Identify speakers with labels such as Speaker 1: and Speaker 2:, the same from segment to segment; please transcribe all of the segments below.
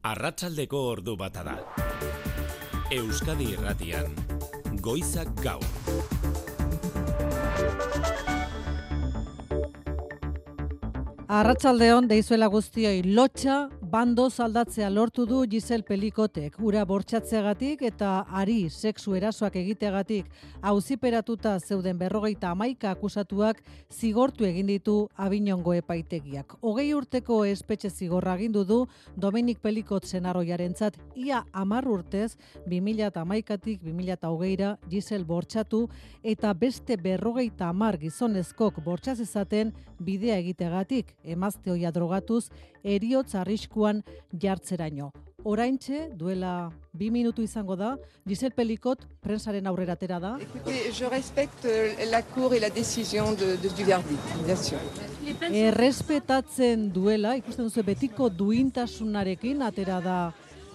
Speaker 1: Arratsaldeko ordu bata da. Euskadi Irratian, Goizak Gaur.
Speaker 2: Arratsaldeon deizuela guztioi, lotxa bandoz aldatzea lortu du Giselle Pelikotek, ura bortxatzeagatik eta ari sexu erasoak egiteagatik auziperatuta zeuden 51 akusatuak zigortu egin ditu Avignongo epaitegiak. 20 urteko espetxe zigorra agindu du Dominik Pelikot senarroiarentzat, ia 10 urtez 2011tik 2020ra Giselle bortxatu eta beste 50 gizonezkok bortxaz ezaten bidea egiteagatik, emazte ohia drogatuz, heriotz arriskuan jartzeraino. Oraintxe, duela 2 minutu izango da, Giselle Pelikot prensaren aurrera atera da.
Speaker 3: Écoutez, je respecte la cour et la décision du verdict, bien sûr.
Speaker 2: Errespetatzen duela, ikusten duzu betiko duintasunarekin atera da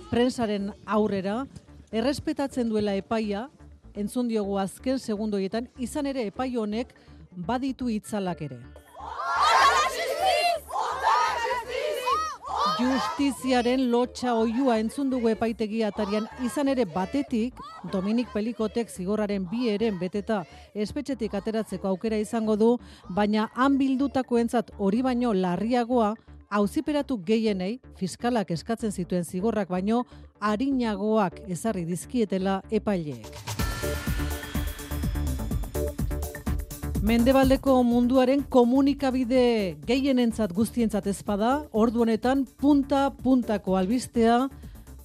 Speaker 2: prensaren aurrera, errespetatzen duela epaia, entzun diogu azken segundoietan, izan ere epai honek baditu itzalak ere. Justiziaren lotxa oihua entzun dugu epaitegi atarian, izan ere batetik Dominik Pelikotek zigorraren 2 eren beteta espetxetik ateratzeko aukera izango du, baina han bildutakoentzat hori baino larriagoa, auziperatu gehienei fiskalak eskatzen zituen zigorrak baino arinagoak ezarri dizkietela epaileek. Mendebaldeko munduaren komunikabide gehienentzat guztientzat ezpada, ordu honetan punta-puntako albistea,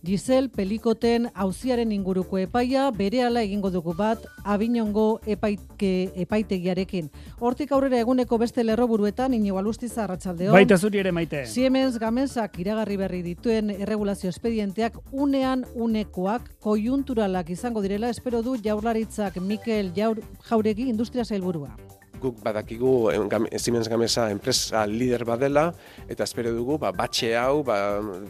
Speaker 2: Giselle Pelikoten auziaren inguruko epaia, berehala egingo dugu bat Avignongo epaitegiarekin. Hortik aurrera eguneko beste lerroburuetan, Iñigo Alustiza, arratsaldeon.
Speaker 4: Baita zuri ere, Maite.
Speaker 2: Siemens Gamesak iragarri berri dituen erregulazio espedienteak unean unekoak koiunturalak izango direla, espero du Jaurlaritzak Mikel Jauregi industria sailburua.
Speaker 5: Guk badakigu Siemens Gamesa enpresa lider badela, eta espero dugu batxe hau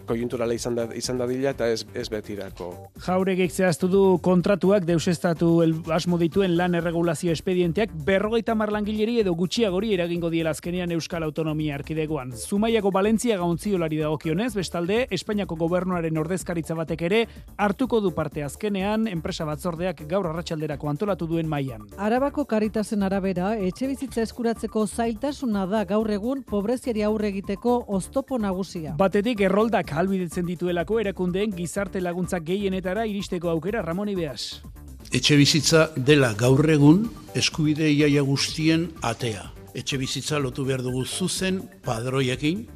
Speaker 5: koiunturala izan dadila eta ez betirako.
Speaker 4: Jauregik zehaztu du kontratuak deusestatu asmo dituen lan erregulazio espedienteak 50 langileri edo gutxiagori eragingo diela azkenean Euskal Autonomia Erkidegoan. Zumaiako Valentzia gaontziolari dagokionez, bestalde Espainiako gobernuaren ordezkaritza batek ere hartuko du parte azkenean enpresa batzordeak gaur arratsalderako antolatu duen mailan.
Speaker 2: Arabako Karitasen arabera, etxebizitza eskuratzeko zailtasuna da gaur egun pobreziari aurre egiteko oztopo nagusia.
Speaker 4: Batetik erroldak ahalbidetzen dituelako erakundeen gizarte laguntzak gehienetara iristeko aukera. Ramon Ibeas.
Speaker 6: Etxebizitza dela gaur egun eskubide iaia guztien atea. Etxebizitza lotu behar dugu zuzen padroiekin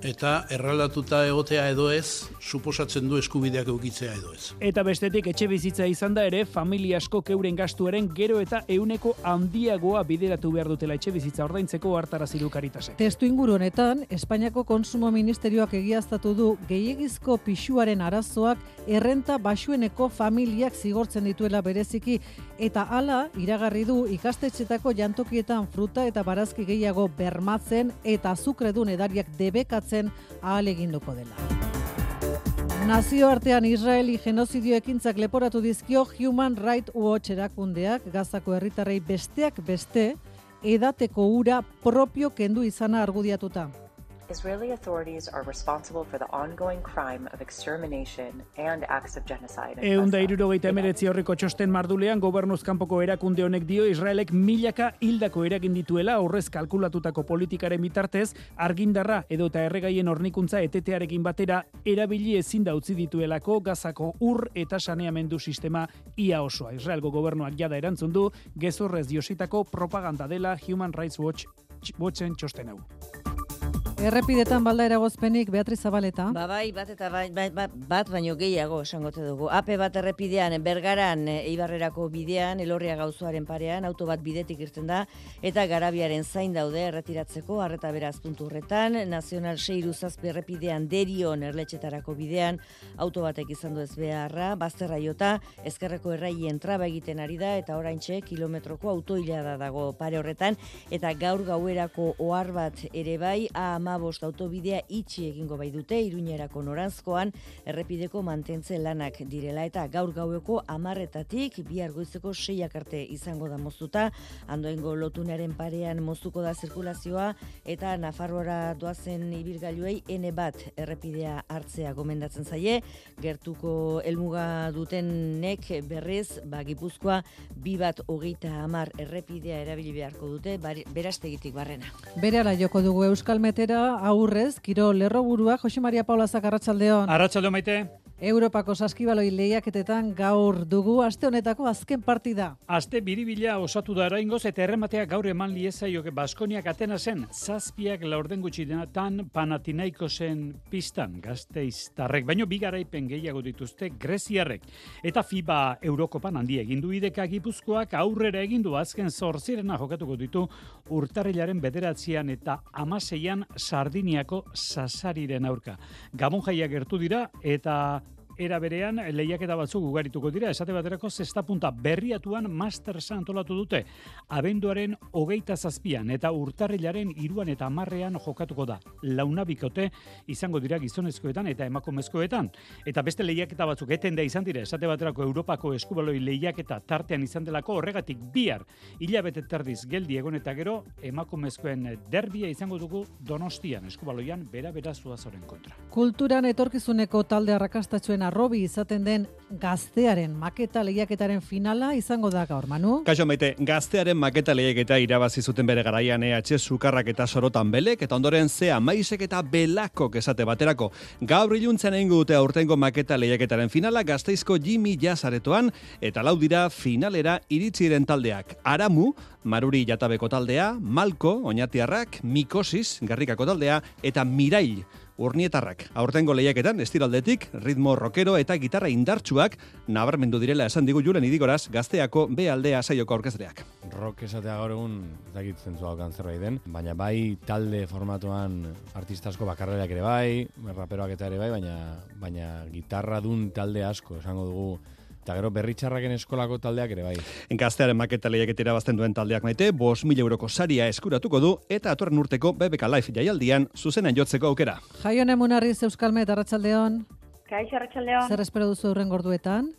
Speaker 6: eta erraldatuta egotea edo ez, suposatzen du eskubideak eukitzea edo ez.
Speaker 4: Eta bestetik etxebizitza izan da ere, familia askok euren gastuaren gero eta 100% handiagoa bideratu behar dutela etxebizitza ordaintzeko hartarazi du Karitasek.
Speaker 2: Testu inguru honetan, Espainiako Kontsumo Ministerioak egiaztatu du gehiegizko pisuaren arazoak errenta baxueneko familiak zigortzen dituela bereziki, eta hala iragarri du ikastetxetako jantokietan fruta eta barazki gehiago bermatzen eta azukredun edariak debekatzen ahal eginduko dela. Nazioartean Israeli genozidio ekintzak leporatu dizkio Human Rights Watch erakundeak, Gazako herritarrei besteak beste edateko ura propio kendu izana argudiatuta.
Speaker 7: Israeli authorities are responsible for the ongoing crime of extermination and acts of genocide.
Speaker 4: 179 aurreko txosten mardulean gobernuz kanpoko erakunde honek dio Israelek milaka hildako eragin dituela aurrez kalkulatutako politikaren bitartez argindarra edota erregaien hornikuntza etetearekin batera erabili ezin da utzi dituelako Gazako ur eta saneamendu sistema ia osoa. Israelgo gobernuak jada erantzun du gezurrez diositako propaganda dela Human Rights Watchen txosten hau.
Speaker 2: Errepidetan balda eragozpenik, Beatriz Zabaleta.
Speaker 8: Bai, bat baino gehiago esangote dugu. AP bat errepidean, Bergaran, Eibarrerako bidean, Elorria gauzoaren parean, auto bat bidetik irten da, eta Garabiaren zain daude erretiratzeko, arreta beraz puntu horretan, Nazional 6 errepidean, Derion erletxetarako bidean, auto batek izan du ez beharra, bazterra jota, ezkerreko erraien traba egiten ari da, eta oraintxe kilometroko autoilada dago pare horretan, eta gaur gauerako ohar bat ere bai, A15 autobidea itxi egingo bai dute Iruñerako noranzkoan errepideko mantentze lanak direla eta gaur gaueko 10:00 bihar goizeko 6 arte izango da moztuta, Andoaingo lotunaren parean moztuko da zirkulazioa eta Nafarroara doazen ibilgailuei N1 errepidea hartzea gomendatzen zaie, gertuko helmuga dutenek berriz, Gipuzkoa 2:30 errepidea erabili beharko dute, Berastegitik barrena.
Speaker 2: Berehala joko dugu Euskalmetera, aurrez, Kirol lerroburua, Jose Maria Paula Zak, arratsaldeon.
Speaker 4: Arratsaldeon, Maite.
Speaker 2: Europako saskibaloi lehiaketetan gaur dugu aste honetako azken partida.
Speaker 4: Aste biribila osatu da oraingoz eta errematea gaur eman liezaioke Baskoniak Atenasen 7 laurden gutxi denatan Panathinaikosen pistan Gasteiztarrek, baino bi garaipen gehiago dituzte greziarrek. Eta FIBA Eurokopan handia egin du ideka Gipuzkoak aurrera egin du azken 8 jokatuko ditu urtarrilaren 9 eta 16 Sardiniako Sasariren aurka. Gabon jaia gertu dira eta era berean lehiaketa batzuk ugarituko dira, esate baterako zesta punta berriatuan Mastersa antolatu dute. Abenduaren 27an eta urtarrilaren 3 eta 10 jokatuko da. Launabikote izango dira gizonezkoetan eta emakumezkoetan. Eta beste lehiaketa batzuk etenda izan dira, esate baterako Europako eskubaloi lehiaketa tartean izan delako, horregatik bihar hilabete terdiz geldi egon eta gero emakumezkoen derbia izango dugu Donostian, eskubaloian bera Zuazoren kontra.
Speaker 2: Kulturan etorkizuneko talde arrakastatxuen arrobi izaten den Gaztearen maketa lehiaketaren finala izango da gaur, Manu.
Speaker 9: Kaixo Maite, Gaztearen maketa lehiaketa irabazi zuten bere garaian EH Sukarrak eta Sorotan Belek, eta ondoren Zea Maisek eta Belakok esate baterako. Gaur iluntzen egingo dute aurtengo maketa lehiaketaren finala Gasteizko Jimmy Jazz aretoan, eta lau dira finalera iritsiren taldeak. Aramu, Maruri Jatabeko taldea, Malko, Oñatiarrak, Mikosis, Garrikako taldea, eta Mirail, Urnietarrak. Aurtengo lehiaketan estiraldetik ritmo rockero eta gitarra indartsuak nabarmendu direla esan digu Julen Idigoraz, Gazteako B aldea saioko aurkezleak.
Speaker 10: Rock esatea gaur egun dakit zentzua okan zerbait den, baina bai talde formatuan artista asko bakarrerak ere bai, raperoak eta ere bai, baina gitarra dun talde asko esango dugu. Eta gero berritxarraken eskolako taldeak ere bai.
Speaker 9: Gaztearen maketa lehiaketera bazten duen taldeak Maite, 5.000 euroko saria eskuratuko du eta atorren urteko BBK Live jaialdian zuzenean jotzeko aukera.
Speaker 2: Jaione Munarriz, Euskalmet, arratsaldeon.
Speaker 11: Kaixo, arratsaldeon.
Speaker 2: Zer espero duzu hurrengo orduetan?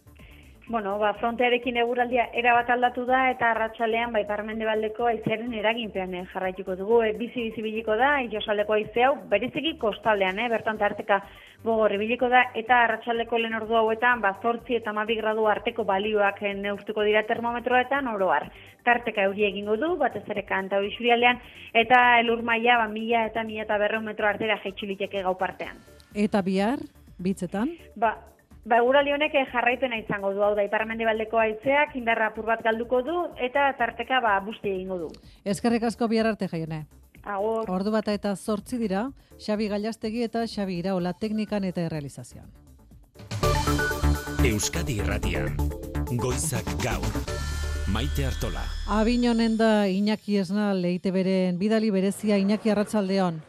Speaker 11: Bueno, frontearekin eguraldia erabat aldatu da eta arratsalean ipar-mendebaldeko haizearen eraginpean jarraituko dugu. Bizi biliko da, itsasoaldeko haize hau bereziki kostaldean, bertan tarteka gogor ibiliko da eta arratsaldeko lehen ordu hauetan 8 eta 12 gradu arteko balioak neurtuko dira termometroetan oro har. Tarteka euria egingo du, batez ere Kantauri isurialdean eta elur maila 1000 eta 1200 metro artera jaitsi liteke gau partean.
Speaker 2: Eta bihar, bitzetan?
Speaker 11: Eguraldi honek jarraipena izango du, hau da ipar-mendebaldeko haizeak indarra apur bat galduko du eta tarteka busti egingo du.
Speaker 2: Eskerrik asko bihar arte, Jaione.
Speaker 11: Agur.
Speaker 2: Ordu bata eta 8 dira, Xabi Gallastegi eta Xabi Iraola teknikan eta errealizazioan.
Speaker 1: Euskadi Irratian, Goizak Gaur, Maite Artola.
Speaker 2: Abinonen da Iñaki Esnal, EITBren bidali berezia. Iñaki, arratsaldeon.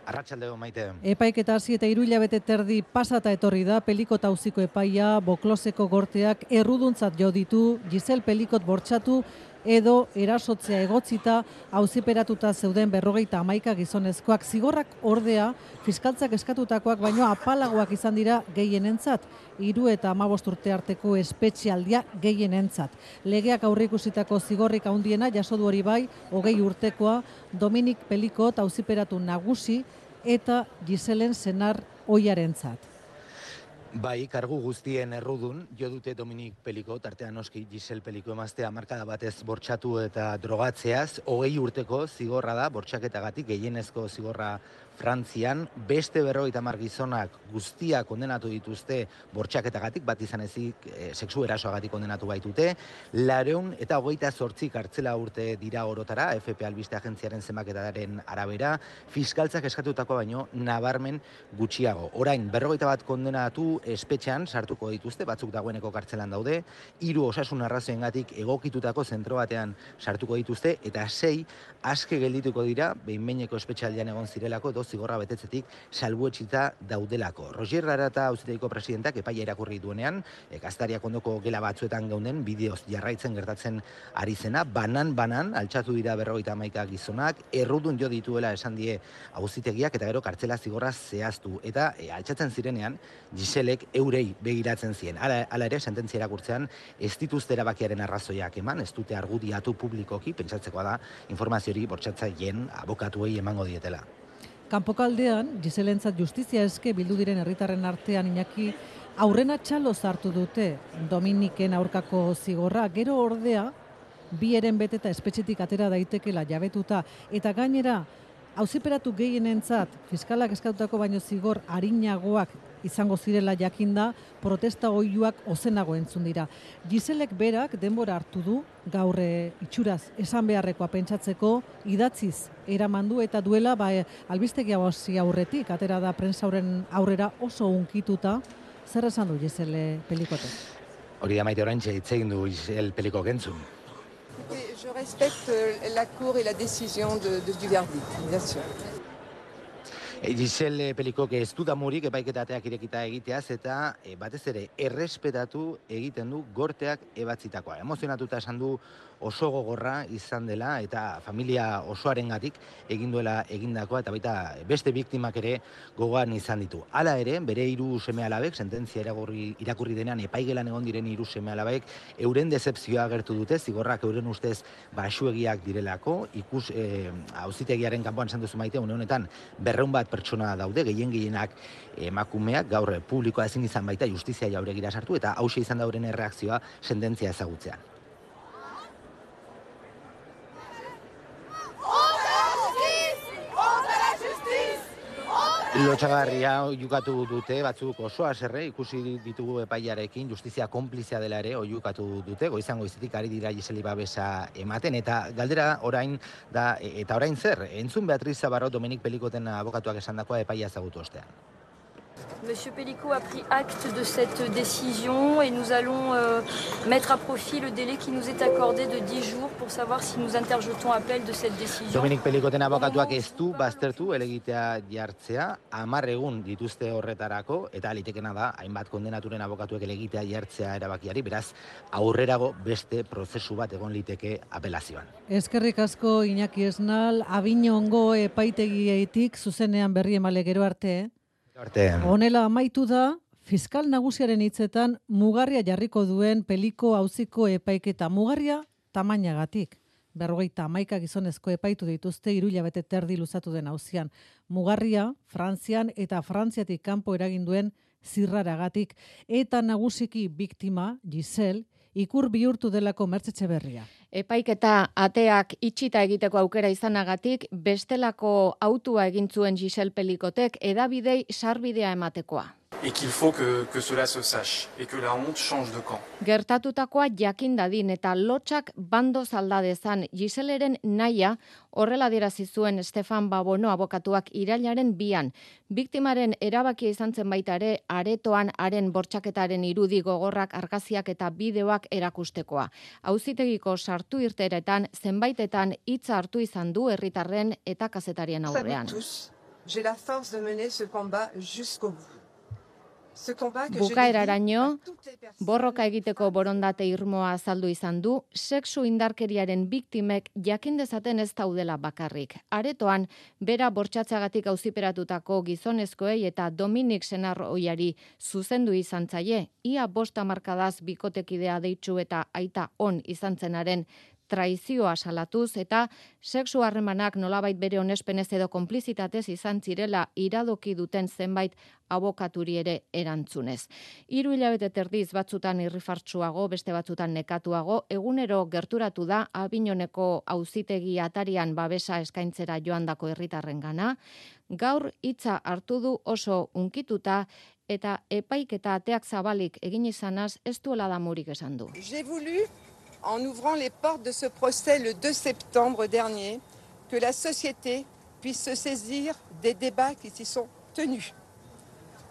Speaker 12: Arratsaldeon, Maite.
Speaker 2: Epaiketa hasi eta 3 hilabete terdi pasata etorri da Pelikot auziko epaia, Bokloseko gorteak erruduntzat jo ditu Gisel Pelikot bortxatu edo erasotzea egotzita auziperatuta zeuden 51 gizonezkoak. Zigorrak ordea fiskaltzak eskatutakoak baino apalagoak izan dira gehienentzat, 3 eta 15 urte arteko espetxealdia gehienentzat. Legeak aurreikusitako zigorrik handiena jaso du hori bai, 20 urtekoa Dominik Pelikot auziperatu nagusi eta Giselen senar ohiarentzat.
Speaker 12: Bai, kargu guztien errudun, jo dute Dominik Pelikot, artean noski Gisel Peliko emaztea markada batez bortxatu eta drogatzeaz, 20 urteko zigorra da, bortxaketagatik, gehienezko zigorra Frantzian, beste 50 gizonak guztia kondenatu dituzte bortxaketagatik, bat izan ezik sexu erasoagatik kondenatu baitute, 228 kartzela urte dira orotara, FP albiste agentziaren zenbaketaren arabera, fiskaltzak eskatutako baino nabarmen gutxiago. Orain, 51 kondenatu espetxean sartuko dituzte, batzuk dagoeneko kartzelan daude, 3 osasun arrazoengatik egokitutako zentro batean sartuko dituzte, eta 6 aske geldituko dira, behin-behineko espetxealdian egon zirelako, zigorra betetzetik salbuetsita daudelako. Roger Arata auzitegiko presidentak epaia irakurri duenean, gaztariak ondoko gela batzuetan geunden bideoz jarraitzen gertatzen ari zena, banan altxatu dira 51 gizonak, errudun jo dituela esan die auzitegiak eta gero kartzela zigorra zehaztu eta altxatzen zirenean Giselek eurei begiratzen zien. Hala ere sententzia irakurtzean ez dituzte erabakiaren arrazoiak eman, ez dute argudiatu publikoki, pentsatzekoa da informazio hori bortxatzaileen abokatuei emango dietela.
Speaker 2: Kanpokaldean, Giselentzat justizia eske bildu diren herritarren artean Iñaki aurrena txalo zartu dute Dominiken aurkako zigorra, gero ordea bi eren beteta espetxetik atera daitekela jabetuta eta gainera auziperatu gehienentzat fiskalak eskautako baino zigor arinagoak izango zirela jakinda, protesta oihuak ozenago entzun dira. Giselek berak denbora hartu du, gaur itxuraz esan beharrekoa pentsatzeko, idatziz eramandu eta duela albistegi hausi aurretik, atera da prensauren aurrera oso unkituta, zer esan du Gisele Pelikotek?
Speaker 12: Hori da Maite oraintxe hitz egin du Gisele Pelikok entzun.
Speaker 3: Je respecte la cour et la décision du verdict, bien sûr.
Speaker 12: Gisele Pelikok ez du damurik epaiketateak irekita egiteaz eta batez ere errespetatu egiten du gorteak ebatzitakoa. Emozionatuta esan du oso gogorra izan dela eta familia osoarengatik egin duela egindakoa eta baita beste biktimak ere gogoan izan ditu. Hala ere, bere 3 seme-alabek, sententzia irakurri denean epaigelan egon diren 3 seme-alabek, euren dezepzioa agertu dute, zigorrak euren ustez baxuegiak direlako, auzitegiaren kanpoan esan duzu Maite, une honetan 200 bat pertsona daude, gehienak emakumeak, gaur publikoa ezin izan baita justizia jauregira sartu eta hauxe izan dauren erreakzioa sententzia ezagutzean. Lotsagarria oiukatu dute, batzuk oso haserre, ikusi ditugu epaiarekin, justizia konplizia dela ere oiukatu dute, goizan goizetik ari dira Giseli babesa ematen, eta galdera orain da, eta orain zer, entzun Beatriz Zabarro Dominik Pelikoten abokatuak esandakoa epaia ezagutu ostean.
Speaker 13: Monsieur Pellicot a pris acte de cette décision et nous allons mettre à profit le délai qui nous est accordé de 10 jours pour savoir si nous interjetons appel de cette décision.
Speaker 12: Dominik Pelikoten abokatuak ez du baztertu elegitea jartzea, 10 egun dituzte horretarako eta litekena da hainbat kondenaturen abokatuek elegitea jartzea erabakiari, beraz aurrerago beste prozesu bat egon liteke apelazioan.
Speaker 2: Eskerrik asko Iñaki Esnal, Abiñongo epaitegietik zuzenean berri emale gero arte. Honela amaitu da, fiskal nagusiaren hitzetan mugarria jarriko duen Peliko auziko epaiketa. Mugarria tamainagatik. 51 gizonezko epaitu dituzte 3 hilabete terdi luzatu den auzian. Mugarria Frantzian eta Frantziatik kanpo eragin duen zirraragatik eta nagusiki biktima Giselle ikur bihurtu delako Mertxe Etxeberria.
Speaker 14: Epaiketa ateak itxita egiteko aukera izanagatik, bestelako autua egin zuen Gisele Pelikotek edabidei sarbidea ematekoa.
Speaker 15: Et qu'il faut que cela se sache et que la honte change de camp.
Speaker 14: Gertatutakoa jakin dadin eta lotsak bandoz alda dezan Giseleren naia horrela adierazi zuen Stefan Babono abokatuak irailaren 2an. Biktimaren erabakia izan zen baita ere aretoan haren bortxaketaren irudi gogorrak, argazkiak eta bideoak erakustekoa. Auzitegiko sartu irteretan zenbaitetan hitza hartu izan du herritarren eta kazetarien aurrean.
Speaker 3: J'ai la force de mener ce combat jusqu'au bout.
Speaker 14: Bukaeraraino, borroka egiteko borondate irmoa azaldu izan du, sexu indarkeriaren biktimek jakin dezaten ez daudela bakarrik. Aretoan, bera bortxatzeagatik auziperatutako gizonezkoei eta Dominik senarroiari zuzendu izan zaie, ia 5 hamarkadaz bikotekidea deitzu eta aita on izan zenaren traizioa salatuz eta sexu harremanak nolabait bere onespenez edo konplizitatez izan zirela iradoki duten zenbait abokaturi ere erantzunez. 3 hilabete terdiz batzutan irrifartsuago, beste batzutan nekatuago, egunero gerturatu da Abiñoneko auzitegi atarian babesa eskaintzera joandako herritarrengana, gaur hitza hartu du oso unkituta eta epaiketa ateak zabalik egin izanaz ez duela damurik esan du.
Speaker 3: J'ai voulu en ouvrant les portes de ce procès le 2 septembre dernier, que la société puisse se saisir des débats qui s'y sont tenus.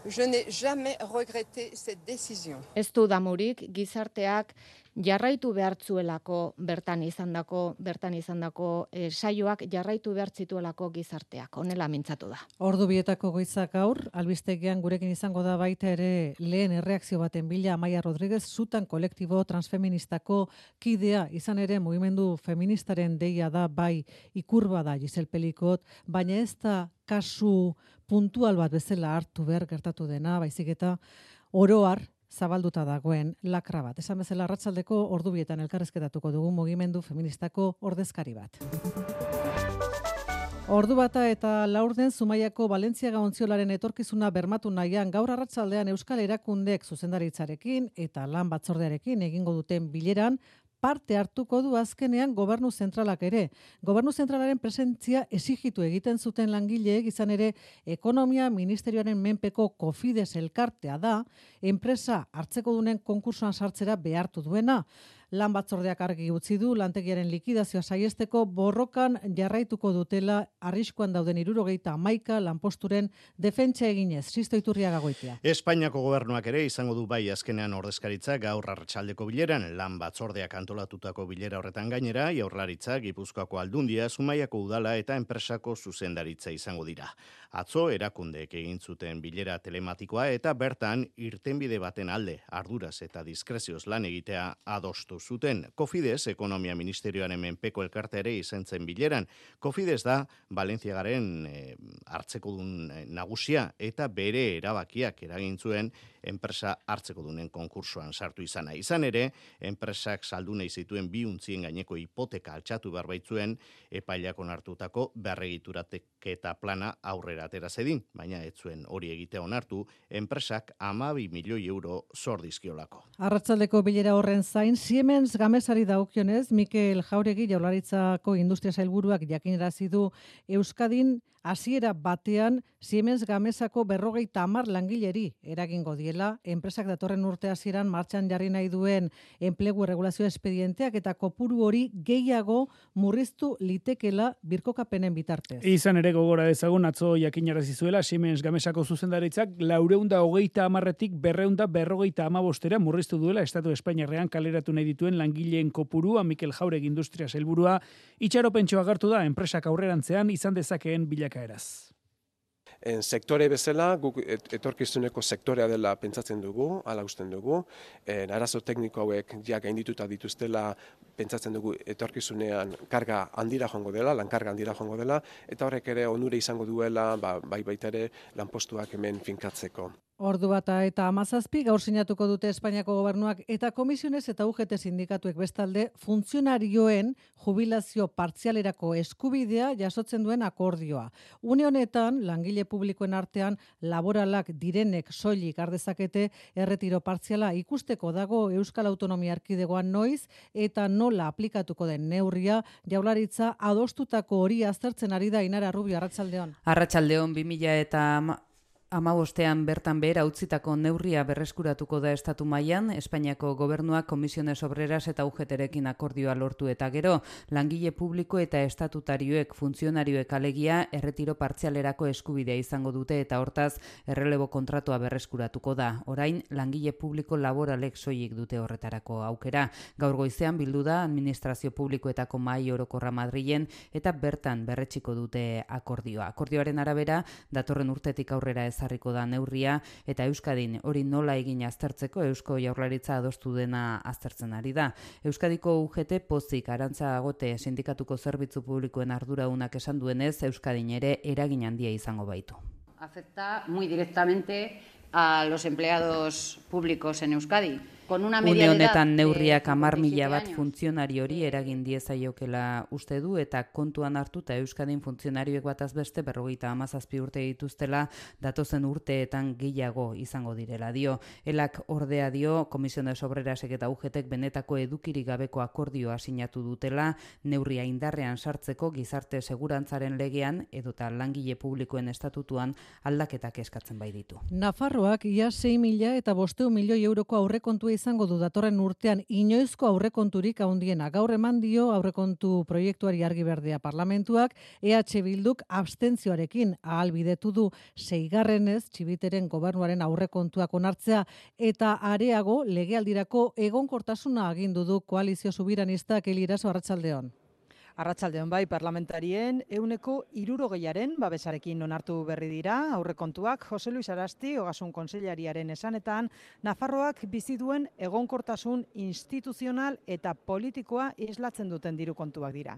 Speaker 3: Je n'ai jamais regretté cette décision.
Speaker 14: Ez du damurik, gizarteak jarraitu behartzuelako bertan izandako saioak jarraitu behartzituelako gizarteak. Honela mintzatu da.
Speaker 2: Ordu bietako goizak gaur, albistegian gurekin izango da baita ere lehen erreakzio baten bila Amaia Rodriguez, Zutan kolektibo transfeministako kidea, izan ere mugimendu feministaren deia da bai ikurba da Giselle Pelicot, baina ez da kasu puntual bat bezala hartu behar gertatu dena, baizik eta oroar zabalduta dagoen lakra bat. Esan bezala arratsaldeko ordu bietan elkarrezketatuko dugu mugimendu feministako ordezkari bat. Ordu bata eta laurden Zumaiako Balentziaga ontziolaren etorkizuna bermatu nahian gaur arratsaldean Euskal Erakundek zuzendaritzarekin eta lan batzordearekin egingo duten bileran parte hartuko du azkenean Gobernu Zentralak ere. Gobernu Zentralaren presentzia exigitu egiten zuten langileek, izan ere Ekonomia Ministerioaren menpeko Cofides elkartea da, enpresa hartzekodunen konkursoan sartzera behartu duena. Lan batzordeak argi utzi du lantegiaren likidazioa saiesteko borrokan jarraituko dutela arriskuan dauden 71 lanposturen defentsa eginez. Sisto Iturriaga Goitia.
Speaker 16: Espainiako gobernuak ere izango du bai azkenean ordezkaritza gaur arratsaldeko bileran. Lan batzordeak antolatutako bilera horretan gainera, Jaurlaritza, Gipuzkoako Aldundia, Zumaiako udala eta enpresako zuzendaritza izango dira. Atzo erakundeek egin zuten bilera telematikoa eta bertan irtenbide baten alde arduraz eta diskrezioz lan egitea adostu zuten. Cofides, Ekonomia Ministerioaren menpeko elkarte ere izan zen bileran. Cofides da Balentziagaren hartzekodun nagusia eta bere erabakiak eragin zuen enpresa hartzekodunen konkursoan sartu izana. Izan ere, enpresak saldu nahi zituen 2 untzien gaineko hipoteka altxatu behar baitzuen epailak onartutako berregituraketa plana aurrera atera zedin, baina ez zuen hori egitea onartu, enpresak 12 milioi euro zor dizkiolako.
Speaker 2: Arratsaldeko bilera horren zain, Siemens Gamesari dagokionez, Mikel Jauregi Jaurlaritzako Industria Sailburuak jakinarazi du Euskadin hasiera batean Siemens Gamesako 50 langileri eragingo diela, enpresak datorren urte hasieran martxan jarri nahi duen enplegu erregulazio espedienteak eta kopuru hori gehiago murriztu litekela birkokapenen bitartez.
Speaker 4: Izan ere gogora dezagun atzo jakinarazi zuela Siemens Gamesako zuzendaritzak 430tik 255 murriztu duela Estatu Espainiarrean kaleratu nahi dituen langileen kopurua. Mikel Jauregi Industria Sailburua itxaropentxo agertu da enpresak aurrerantzean izan dezakeen bilakaeraz.
Speaker 5: Sektore bezala, guk etorkizuneko sektorea dela pentsatzen dugu, hala usten dugu. Arazo tekniko hauek ja gaindituta dituztela pentsatzen dugu etorkizunean karga handira joango dela, lankarga handira joango dela, eta horrek ere onure izango duela, bai baita ere lanpostuak hemen finkatzeko.
Speaker 2: Ordu bata eta 17 gaur sinatuko dute Espainiako gobernuak eta komisiones eta UGT sindikatuek bestalde funtzionarioen jubilazio partzialerako eskubidea jasotzen duen akordioa. Une honetan, langile publikoen artean laboralak direnek soilik har dezakete erretiro partziala ikusteko dago Euskal Autonomia Erkidegoan noiz eta nola aplikatuko den neurria. Jaurlaritza adostutako hori aztertzen ari da. Ainara Rubio, arratsaldeon.
Speaker 17: Arratsaldeon. 2015 bertan behera utzitako neurria berreskuratuko da estatu mailan. Espainiako gobernuak Komisiones Obreras eta UGTrekin akordioa lortu eta gero langile publiko eta estatutarioek funtzionarioek alegia erretiro partzialerako eskubidea izango dute eta hortaz errelebo kontratua berreskuratuko da. Orain langile publiko laboralek soilik dute horretarako aukera. Gaur goizean bildu da administrazio publikoetako mahai orokorra Madrilen eta bertan berretsiko dute akordioa. Akordioaren arabera datorren urtetik aurrera ezarriko da neurria eta Euskadin hori nola egin aztertzeko Eusko Jaurlaritza adostu dena aztertzen ari da. Euskadiko UGT pozik Arantza Agote sindikatuko zerbitzu publikoen arduradunak esan duenez Euskadin ere eragin handia izango baitu.
Speaker 18: Afecta muy directamente a los empleados públicos en Euskadi. Une
Speaker 17: honetan neurriak 10.000 bat funtzionariori eragin diezaiokela uste du eta kontuan hartuta Euskadin funtzionarioek bataz beste 57 urte dituztela datozen urteetan gehiago izango direla dio. Elak ordea dio Komisiones Obrerasek eta UGTek benetako edukirik gabeko akordioa sinatu dutela neurria indarrean sartzeko gizarte segurantzaren legean edota langile publikoen estatutuan aldaketak eskatzen bai ditu.
Speaker 2: Nafarroak ia 6.500 milioi euroko aurrekontua izango du datorren urtean inoizko aurrekonturik handiena. Gaur eman dio aurrekontu proiektuari argi berdea parlamentuak, EH Bilduk abstentzioarekin ahalbidetu du 6. Txibiteren gobernuaren aurrekontuak onartzea eta areago legealdirako egonkortasuna agindu du koalizio subiranistak. Eliraso, arratsaldeon.
Speaker 19: Arratsaldeon bai, parlamentarien 60%aren babesarekin onartu berri dira aurrekontuak. Jose Luis Arasti, Ogasun Kontseilariaren esanetan, Nafarroak bizi duen egonkortasun instituzional eta politikoa islatzen duten diru kontuak dira.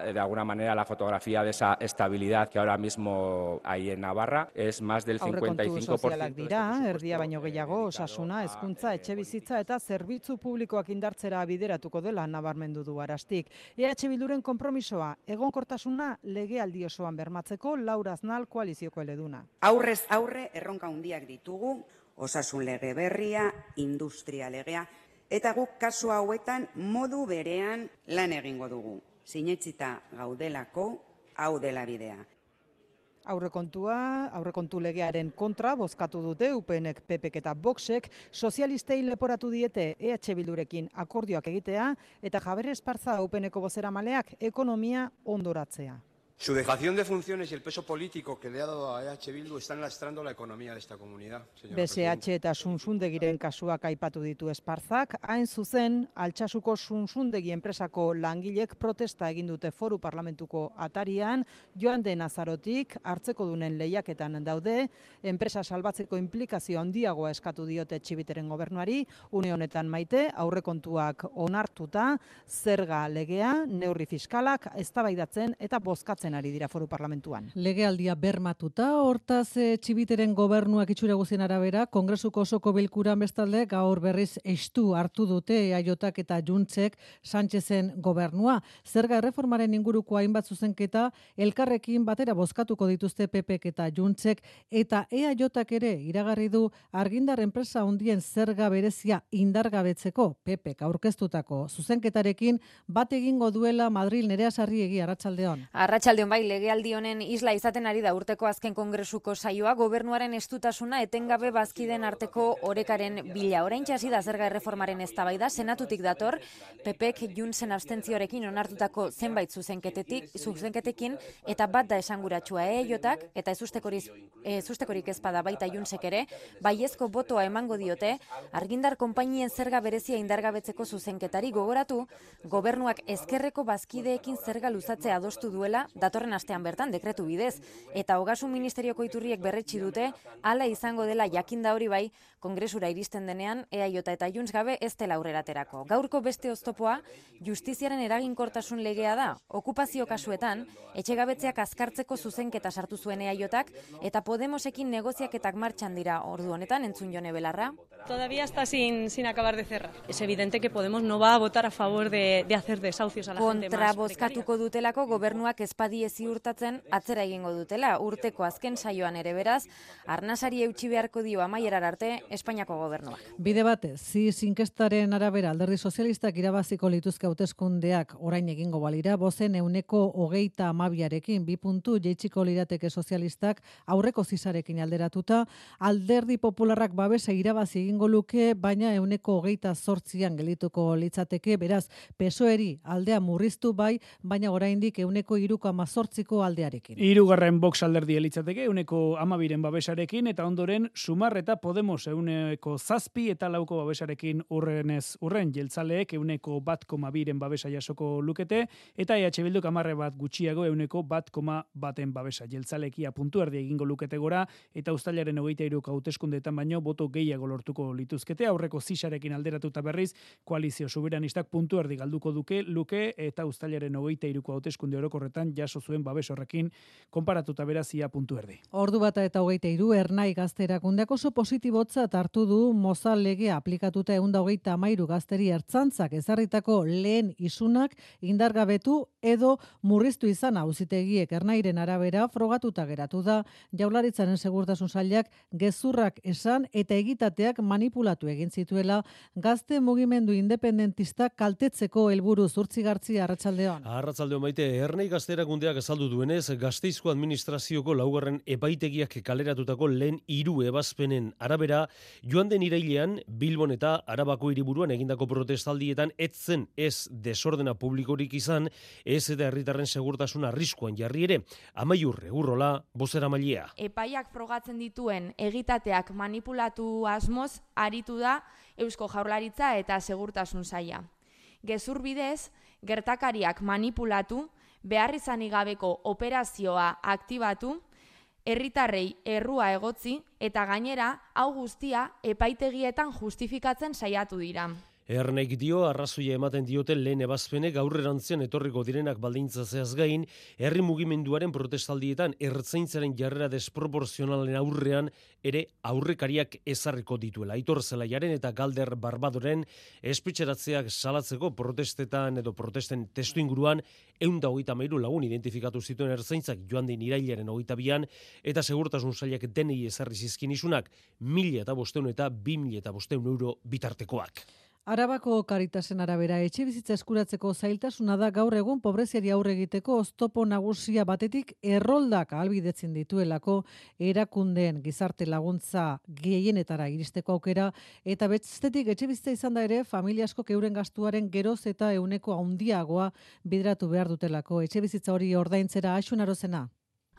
Speaker 20: De alguna manera la fotografía de esa estabilidad que ahora mismo hay en Navarra es más del 55%.
Speaker 19: Aurrekontu sozialak dira, erdia baino gehiago, osasuna, hezkuntza, etxebizitza eta zerbitzu publikoak indartzera bideratuko dela nabarmendu du Arastik. EH Bilduren konpromisoa, egonkortasuna legealdi osoan bermatzeko Laura Aznal koalizioko eleduna.
Speaker 21: Aurrez aurre erronka handiak ditugu, osasun lege berria, industria legea, eta guk kasu hauetan modu berean lan egingo dugu. Sinetsita gaudelako, hau dela bidea.
Speaker 19: Aurrekontu legearen kontra bozkatu dute UPNek, PPek eta Voxek, sozialistei leporatu diete EH Bildurekin akordioak egitea eta Javier Esparza UPNeko bozeramaleak ekonomia ondoratzea.
Speaker 22: Su dejación de funciones y el peso político que le ha dado a EH Bildu están lastrando la economía de esta comunidad.
Speaker 19: BSH eta Sunsundegiren kasuak aipatu ditu Esparzak, hain zuzen, Altsasuko Sunsundegi enpresako langilek protesta egin dute Foru Parlamentuko atarian, Joan den Azarotik hartzekodunen lehiaketan daude, enpresa salbatzeko implikazio handiagoa eskatu diote Txibiteren gobernuari, une honetan Maite, aurrekontuak onartuta, zerga legea, neurri fiskalak, eztabaidatzen eta bozkatzen ari dira Foru Parlamentuan.
Speaker 2: Legealdia bermatuta, hortaz Txibiteren gobernuak itxura guztien arabera, Kongresuko osoko bilkuran bestalde gaur berriz estu hartu dute EAJak eta Juntzek Sánchezen gobernua. Zerga erreformaren inguruko hainbat zuzenketa elkarrekin batera bozkatuko dituzte PPek eta Juntzek, eta EAJak ere iragarri du argindar enpresa handien zerga berezia indargabetzeko PPek aurkeztutako zuzenketarekin bat egingo duela Madril. Nerea Sarriegi, arratsaldeon.
Speaker 23: Arratsaldeon bai, legealdi honen isla izaten ari da urteko azken kongresuko saioa, gobernuaren estutasuna etengabe bazkiden arteko orekaren bila. Oraintxe hasi da zerga erreformaren eztabaida, senatutik dator, PPek Juntzen abstentzioarekin onartutako zenbait zuzenketekin eta bat da esanguratsua EAJak eta ezustekorik ezpada baita Juntzek ere, baiezko botoa emango diote argindar konpainien zerga berezia indargabetzeko zuzenketari. Gogoratu, gobernuak ezkerreko bazkideekin zerga luzatzea adostu duela datorren astean bertan dekretu bidez, eta Ogasun Ministerioko iturriek berretsi dute hala izango dela jakinda hori bai kongresura iristen denean EAJ eta Junts gabe ez dela aurrera aterako. Gaurko beste oztopoa justiziaren eraginkortasun legea da. Okupazio kasuetan etxegabetzeak azkartzeko zuzenketa sartu zuen EAJak eta Podemosekin negoziaketak martxan dira. Ordu honetan entzun Jone Belarra.
Speaker 24: Todavía está sin acabar de cerrar. Es evidente que Podemos no va a votar a favor de hacer desahucios a la gente más precaria.
Speaker 23: Kontrabozkatuko dutelako gobernuak espadi ziurtatzen atzera egingo dutela. Urteko azken saioan ere beraz, arnasari eutsi beharko dio amaierar arte Espainiako gobernuak.
Speaker 2: Bide batez, inkestaren arabera Alderdi Sozialistak irabaziko lituzke hauteskundeak orain egingo balira, bozen 22%arekin 2 puntu jeitsiko lirateke sozialistak aurreko zisarekin alderatuta, Alderdi Popularrak babesa irabazi egingo luke, baina 28%an gelituko litzateke, beraz, PSOEri aldea murriztu bai, baina oraindik 3,18ko aldearekin.
Speaker 4: Hirugarren Vox alderdia litzateke 12% babesarekin, eta ondoren Sumar eta Podemos 7% eta 4% babesarekin urren jeltzaleek 1,2% babesa jasoko lukete, eta EH Bilduk 10% gutxiago 1,1% babesa. Jeltzalekia puntu erdi egingo lukete gora, eta uztailaren 23 hauteskundeetan baino boto gehiago lortuko lituzkete. Aurreko zisarekin alderatuta berriz, koalizio soberanistak puntu erdi galduko luke, eta uztailaren 23ko hauteskunde orokorretan jaso zuen babes horrekin konparatuta berazia puntu erdi.
Speaker 2: Ordu bata eta 23 Ernai Gazte Erakundeak oso positibotzat hartu du Mozal legea aplikatuta 133 gazteri ertzantzak ezarritako lehen isunak indargabetu edo murriztu izan auzitegiek. Ernairen arabera frogatuta geratu da Jaurlaritzaren segurtasun sailak gezurrak esan eta egitateak manipulatu egin zituela gazte mugimendu independentista kaltetzeko helburuz. Urtzigartzia, arratsaldeon.
Speaker 6: Arratsaldeon Maite, Ernai Gazterakundeak azaldu duenez, Gasteizko administrazioko laugarren epaitegiak kaleratutako lehen 3 ebazpenen arabera, joan den irailean Bilbon eta Arabako hiriburuan egindako protestaldietan etzen ez desordena publikorik izan, ez eta herritarren segurtasun arriskuan jarri ere. Amaiur Egurrola, bozeramailea.
Speaker 7: Epaiak frogatzen dituen egitateak manipulatu asmoz aritu da Eusko Jaurlaritza eta Segurtasun Saila. Gezur bidez, gertakariak manipulatu, beharrizanik gabeko operazioa aktibatu, herritarrei errua egotzi eta gainera hau guztia epaitegietan justifikatzen saiatu dira.
Speaker 6: Ernaik dio, arrazoia ematen diote lehen ebazpenek aurrerantzean etorriko direnak baldintzazeaz gain, herri mugimenduaren protestaldietan ertzaintzaren jarrera desproporzionalen aurrean ere aurrekariak ezarriko dituela. Aitor Zelaiaren eta Galder Barbadoren espetxeratzeak salatzeko protestetan edo protesten testu inguruan 123 lagun identifikatu zituen ertzaintzak joan den irailaren 22an eta Segurtasun Sailak denei ezarri zizkin isunak 1.500 eta 2.500 euro bitartekoak.
Speaker 2: Arabako Karitasen arabera etxebizitza eskuratzeko zailtasuna da gaur egun pobreziari aurre egiteko oztopo nagusia batetik erroldak ahalbidetzen dituelako erakundeen gizarte laguntza gehienetara iristeko aukera eta bestetik etxebizitza izan da ere familia askok euren gastuaren geroz eta ehuneko handiagoa bideratu behar dutelako etxebizitza hori ordaintzera. Axun Arozena.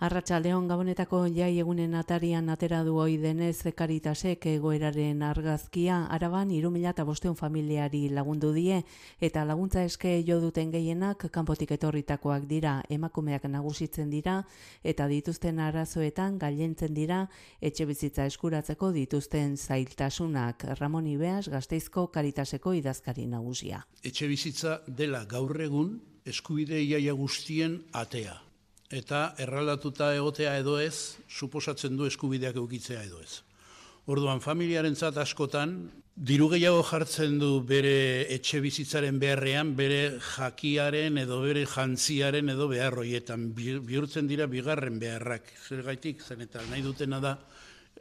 Speaker 8: Arratsaldeon, Gabonetako jai egunen atarian atera du ohi denez Karitasek egoeraren argazkia. Araban 3.500 familiari lagundu die eta laguntza eske jo duten gehienak kanpotik etorritakoak dira, emakumeak nagusitzen dira eta dituzten arazoetan gailentzen dira etxebizitza eskuratzeko dituzten zailtasunak. Ramon Ibeas, Gasteizko Karitaseko idazkari nagusia.
Speaker 10: Etxebizitza dela gaur egun eskubide iaia guztien atea. Eta erraldatuta egotea edo ez, suposatzen du eskubideak eukitzea edo ez. Orduan, familiarentzat askotan, diru gehiago jartzen du bere etxe bizitzaren beharrean, bere jakiaren edo bere jantziaren edo beharroietan. Bihurtzen dira bigarren beharrak. Zergaitik, zen eta nahi dutena da,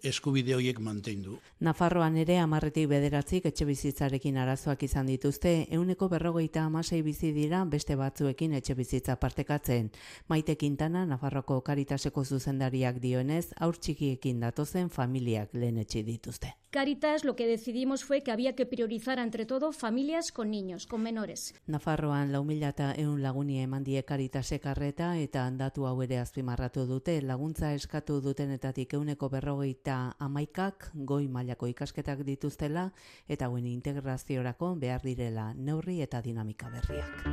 Speaker 10: eskubide horiek mantendu.
Speaker 8: Nafarroan ere 10-tik 9 etxe bizitzarekin arazoak izan dituzte, 156 bizi dira beste batzuekin etxe bizitza partekatzen. Maite Quintana, Nafarroko Karitaseko zuzendariak dionez, haur txikiekin datozen familiak lehenetsi dituzte.
Speaker 25: Caritas lo que decidimos fue que había que priorizar entre todo familias con niños, con menores.
Speaker 8: Nafarroan 4.100 laguni eman die Caritasek arreta eta datu hau ere azpimarratu dute, laguntza eskatu dutenetatik 151 goi mailako ikasketak dituztela eta hauen integraziorako behar direla neurri eta dinamika berriak.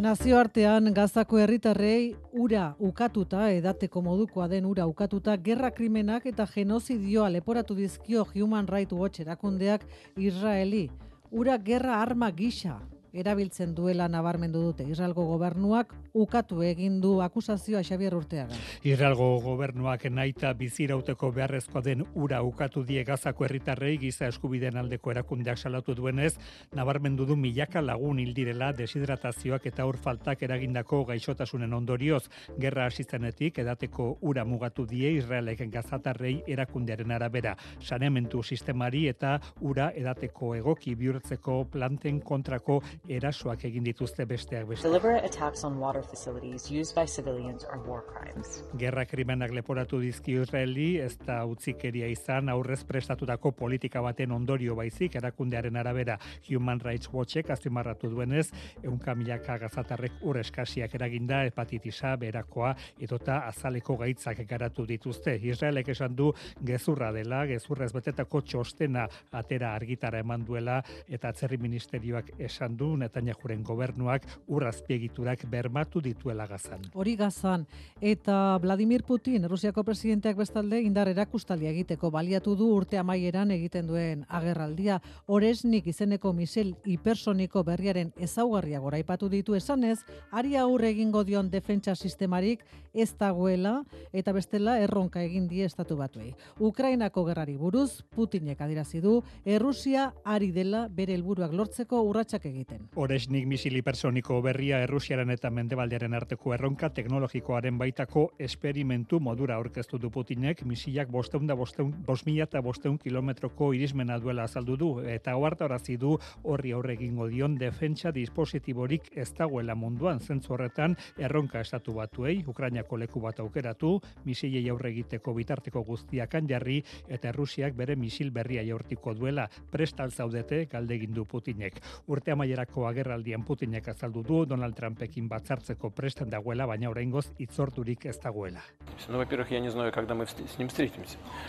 Speaker 2: Nazioartean Gazako herritarrei ura ukatuta, edateko modukoa den ura ukatuta, gerra krimenak eta genozidioa leporatu dizkio Human Rights Watch erakundeak Israeli. Ura gerra arma gisa erabiltzen duela nabarmendu dute. Israelgo gobernuak ukatu egin du akusazioa Xabier Urteaga.
Speaker 4: Israelgo gobernuak nahita bizirauteko beharrezkoa den ura ukatu die Gazako herritarrei giza eskubideen aldeko erakundeak salatu duenez, nabarmendu du milaka lagun hil direla deshidratazioak eta ur faltak eragindako gaixotasunen ondorioz. Gerra hasi zenetik edateko ura mugatu die Israelek gazatarrei erakundearen arabera. Saneamendu sistemari eta ura edateko egoki bihurtzeko planten kontrako erasoak egin dituzte besteak beste.
Speaker 26: Deliberate attacks on water facilities used by civilians are war crimes.
Speaker 4: Gerra krimenak leporatu dizki Israeli, ez da utzikeria izan aurrez prestatutako politika baten ondorio baizik erakundearen arabera. Human Rights Watchek azpimarratu duenez, 100.000 gazatarrek ur eskasiak eraginda, hepatitisa, berakoa edota azaleko gaitzak garatu dituzte. Israelek esan du gezurra dela, gezurrez betetako txostena atera argitara eman duela eta atzerri ministerioak esan du Netanyahuren gobernuak urrazpiegiturak bermatu dituela Gazan.
Speaker 2: Hori Gazan, eta Vladimir Putin, Rusiako presidenteak bestalde indar erakustaldia egiteko baliatu du urte amaieran egiten duen agerraldia. Oresnik izeneko misil hipersoniko berriaren ezaugarria goraipatu ditu esanez, ari aurre egingo dion defentsa sistemarik ez dagoela eta bestela erronka egin die estatu batuei. Ukrainako gerrari buruz, Putinek adierazi du, Errusia ari dela bere helburuak lortzeko urratsak egiten.
Speaker 4: Oresnik misil hipersoniko berria Errusiaren eta
Speaker 1: hegoaldearen arteko erronka teknologikoaren baitako esperimentu modura aurkeztu du Putinek, misilak 5.500 kilometroko irismena duela azaldu du, eta ohartarazi du horri aurre egingo dion defentsa dispositiborik ez dagoela munduan. Zentzu horretan erronka estatu batuei Ukrainako leku bat aukeratu, misilei aurre egiteko bitarteko guztiakan jarri, eta Errusiak bere misil berria jaurtiko duela prestal zaudete galdegin du Putinek. Urte amaierako agerraldian Putinek azaldu du Donald Trumpekin batzartzeko prestan dagoela, baina oraingoz hitzordurik ez dagoela.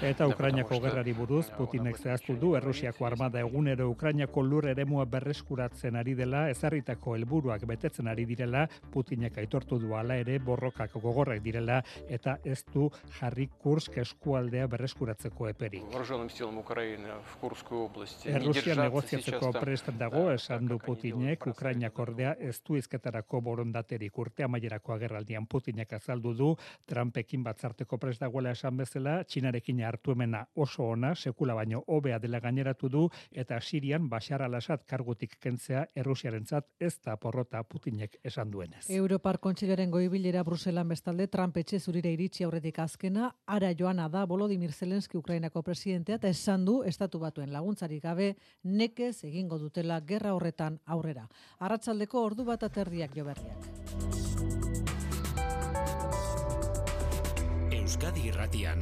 Speaker 1: Eta Ukrainako gerrari buruz Putinek zehaztu du Errusiako armada egunero Ukrainako lur eremua berreskuratzen ari dela, ezarritako helburuak betetzen ari direla. Putinek aitortu du hala ere borrokak gogorrak direla eta ez du jarri Kursk eskualdea berreskuratzeko eperik. Errusia negoziatzeko prestan dago, esan du Putinek. Ukrainak ordea ez du hizketarako borondaterik. Urte amaierako agerraldian Putinek azaldu du Trumpekin batzarteko prest dagoela esan bezala, Txinarekin hartu emena oso ona, sekula baino hobea dela gaineratu du, eta Sirian Bashar al-Assad kargutik kentzea Errusiarentzat ez da porrota Putinek esan duenez.
Speaker 2: Europar Kontseilaren goi-bilera Bruselan bestalde Trump etxe zurira iritsi aurretik azkena, ara joana da Volodymyr Zelensky Ukrainako presidentea, eta esan du estatu batuen laguntzarik gabe nekez egingo dutela gerra horretan aurrera. Arratsaldeko 1:30 joberriak.
Speaker 9: Euskadi Irratian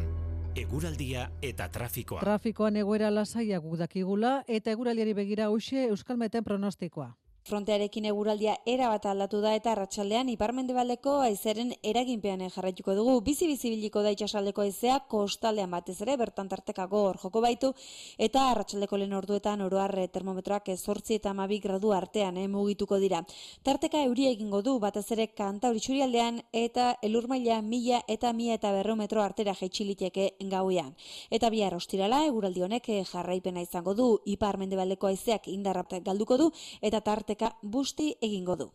Speaker 9: eguraldia eta trafikoa.
Speaker 2: Trafikoan egoera lasaiak guk dakigula, eta eguraldiari begira hoxe Euskalmeten pronostikoa.
Speaker 11: Frontearekin eguraldia erabat aldatu da eta arratsaldean ipar-mendebaldeko haizeren eraginpean jarraituko dugu. Bizi-bizi biliko da itsasaldeko haizea, kostaldean batez ere bertan tarteka gogor joko baitu, eta arratsaldeko lehen orduetan oro har termometroak 8 eta 12 gradu artean mugituko dira. Tarteka euria egingo du batez ere Kantauri isurialdean eta elur maila 1000 eta 1200 metro artera jaitsi liteke gauean. Eta bihar ostirala eguraldi honek jarraipena izango du, ipar-mendebaldeko haizeak indarra galduko du eta tarteka busti egingo du.